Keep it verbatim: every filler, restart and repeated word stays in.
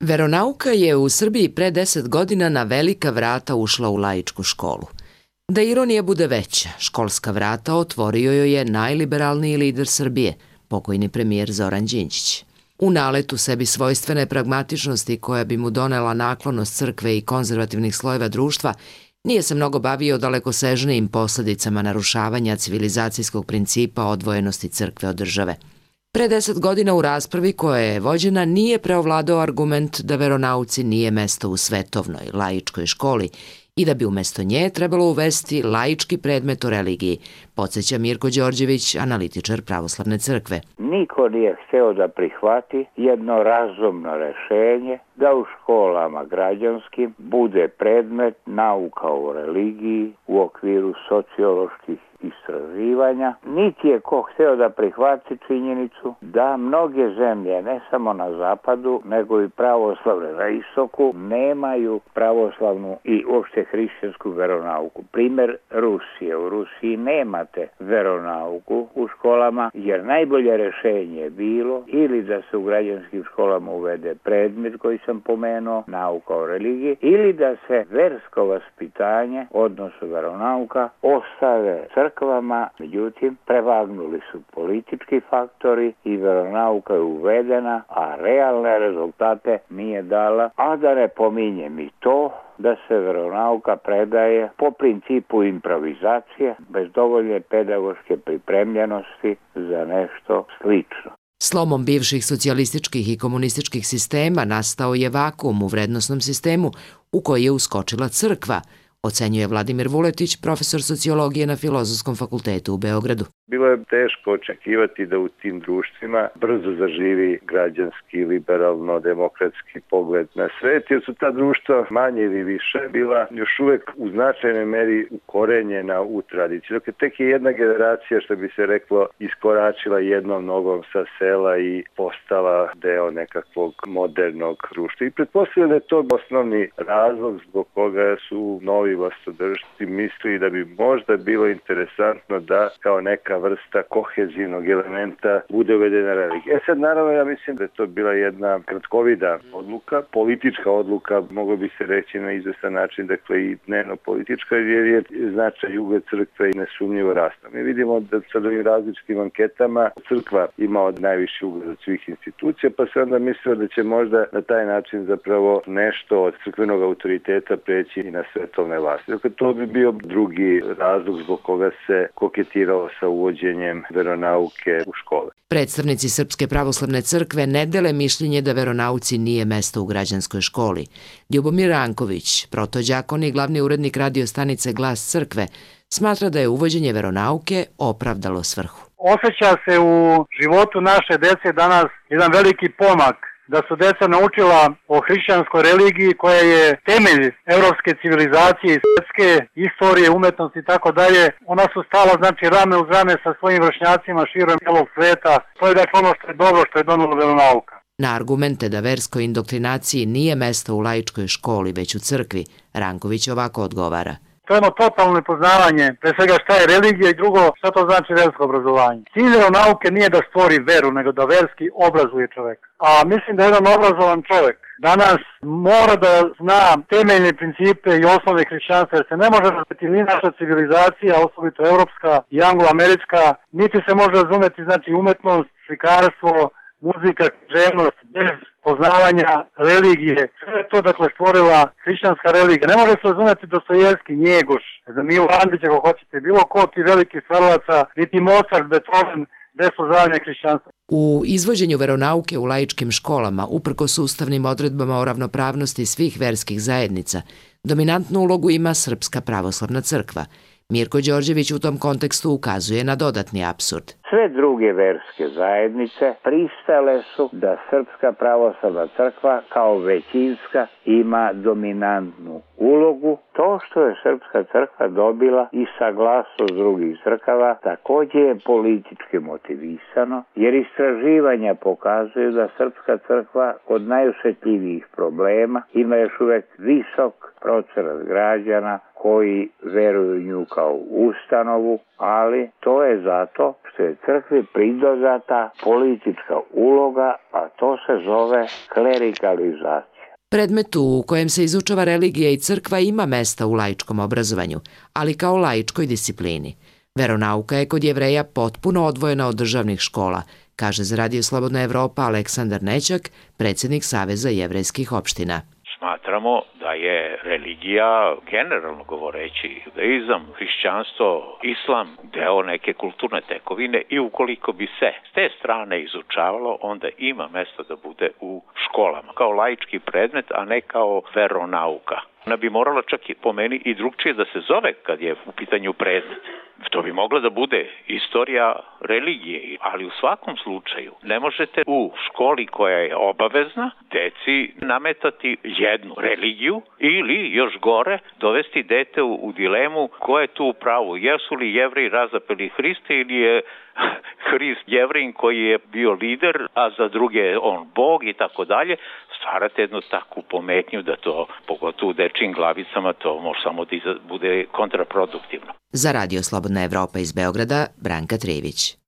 Veronauka je u Srbiji pre deset godina na velika vrata ušla u laičku školu. Da ironija bude veća, školska vrata otvorio joj je najliberalniji lider Srbije, pokojni premijer Zoran Đinđić. U naletu sebi svojstvene pragmatičnosti koja bi mu donela naklonost crkve i konzervativnih slojeva društva, nije se mnogo bavio dalekosežnijim posledicama narušavanja civilizacijskog principa odvojenosti crkve od države. Pre deset godina u raspravi koja je vođena nije preovladao argument da veronauci nije mesto u svetovnoj, laičkoj školi i da bi umesto nje trebalo uvesti laički predmet o religiji, podsjeća Mirko Đorđević, analitičar Pravoslavne crkve. Niko nije hteo da prihvati jedno razumno rešenje da u školama građanskim bude predmet nauka o religiji u okviru socioloških istraživanja, niti je ko hteo da prihvati činjenicu da mnoge zemlje, ne samo na zapadu, nego i pravoslavne na istoku, nemaju pravoslavnu i uopšte hrišćansku veronauku. Primer Rusije. U Rusiji nemate veronauku u školama, jer najbolje rešenje je bilo ili da se u građanskim školama uvede predmet koji sam pomenuo, nauka o religiji, ili da se versko vaspitanje, odnosno veronauka, ostave crkvama. Međutim, prevagnuli su politički faktori i veronauka je uvedena, a realne rezultate nije dala, a da ne pominjem i to da se veronauka predaje po principu improvizacije, bez dovoljne pedagoške pripremljenosti za nešto slično. Slomom bivših socijalističkih i komunističkih sistema nastao je vakuum u vrednosnom sistemu u koji je uskočila crkva, ocenjuje Vladimir Vuletić, profesor sociologije na Filozofskom fakultetu u Beogradu. Bilo je teško očekivati da u tim društvima brzo zaživi građanski, liberalno-demokratski pogled na svet, jer su ta društva manje ili više bila još uvek u značajnoj meri ukorenjena u tradiciju. Dakle, tek je jedna generacija, što bi se reklo, iskoračila jednom nogom sa sela i postala deo nekakvog modernog društva. I pretpostavljam da je to osnovni razlog zbog koga su novi vlastodržci mislili da bi možda bilo interesantno da kao neka vrsta kohezivnog elementa bude uvedena religija. E sad, naravno, ja mislim da je to bila jedna kratkovida odluka, politička odluka, moglo bi se reći na izvestan način, dakle i dnevno-politička, jer je značaj i ugled crkve i nesumnjivo rastao. Mi vidimo da sa ovim različitim anketama crkva ima od najviši ugled od svih institucija, pa se onda mislilo da će možda na taj način zapravo nešto od crkvenog autoriteta preći i na svetovne vlasti. Dakle, to bi bio drugi razlog zbog koga se koketiralo sa uvođenjem veronauke u škole. Predstavnici Srpske pravoslavne crkve ne dele mišljenje da veronauci nije mesto u građanskoj školi. Ljubomir Ranković, protođakon i glavni urednik radio stanice Glas crkve, smatra da je uvođenje veronauke opravdalo svrhu. Osjeća se u životu naše dece danas jedan veliki pomak, da su deca naučila o hrišćanskoj religiji koja je temelj evropske civilizacije i svetske istorije, umetnosti i tako dalje. Ona su stala, znači, rame uz rame sa svojim vršnjacima širom celog sveta. To je dakle ono što je dobro, što je donelo veronauka. Na argumente da verskoj indoktrinaciji nije mesto u laičkoj školi, već u crkvi, Ranković ovako odgovara. To je jedno totalno nepoznavanje, pre svega šta je religija i drugo šta to znači versko obrazovanje. Cilj veronauke nije da stvori veru, nego da verski obrazuje čoveka. A mislim da jedan obrazovan čovek danas mora da zna temeljne principe i osnove hrišćanstva, jer se ne može razumeti ni naša civilizacija, osobito evropska i anglo-američka, niti se može razumeti, znači, umetnost, slikarstvo, muzika, književnost, bez poznavanja religije. Sve je to, dakle, stvorila hrišćanska religija. Ne može se razumeti Dostojevski, Njegoš, za Milo Andrić, ako hoćete, bilo ko ti veliki stvaralaca, niti Mozart, Beethoven, bez poznavanja hrišćanstva. U izvođenju veronauke u laičkim školama, uprkos ustavnim odredbama o ravnopravnosti svih verskih zajednica, dominantnu ulogu ima Srpska pravoslavna crkva. Mirko Đorđević u tom kontekstu ukazuje na dodatni apsurd. Sve druge verske zajednice pristale su da Srpska pravoslavna crkva kao većinska ima dominantnu ulogu. To što je Srpska crkva dobila i saglasnost drugih crkava također je politički motivisano, jer istraživanja pokazuju da Srpska crkva kod najosjetljivijih problema ima još uvijek visok procenat građana koji veruju nju kao ustanovu, ali to je zato što je crkvi pridodata politička uloga, a to se zove klerikalizacija. Predmetu u kojem se izučava religija i crkva ima mesta u laičkom obrazovanju, ali kao laičkoj disciplini. Veronauka je kod Jevreja potpuno odvojena od državnih škola, kaže za Radio Slobodna Evropa Aleksandar Nećak, predsjednik Saveza jevrejskih opština. Smatramo da je religija, generalno govoreći, judaizam, hrišćanstvo, islam, deo neke kulturne tekovine i ukoliko bi se s te strane izučavalo, onda ima mesta da bude u školama, kao laički predmet, a ne kao veronauka. Ona bi morala čak i po meni i drugčije da se zove kad je u pitanju predmet. To bi mogla da bude istorija religije, ali u svakom slučaju ne možete u školi koja je obavezna deci nametati jednu religiju ili još gore dovesti dete u, u dilemu ko je tu u pravu. Jesu li Jevreji razapeli Hrista ili je Hrist Jevrejin koji je bio lider, a za druge je on Bog i tako dalje. Stvarate jednu takvu pometnju da to, pogotovo u dečijim glavicama, to može samo da bude kontraproduktivno. Za Radio Slobodna Evropa iz Beograda, Branka Trević.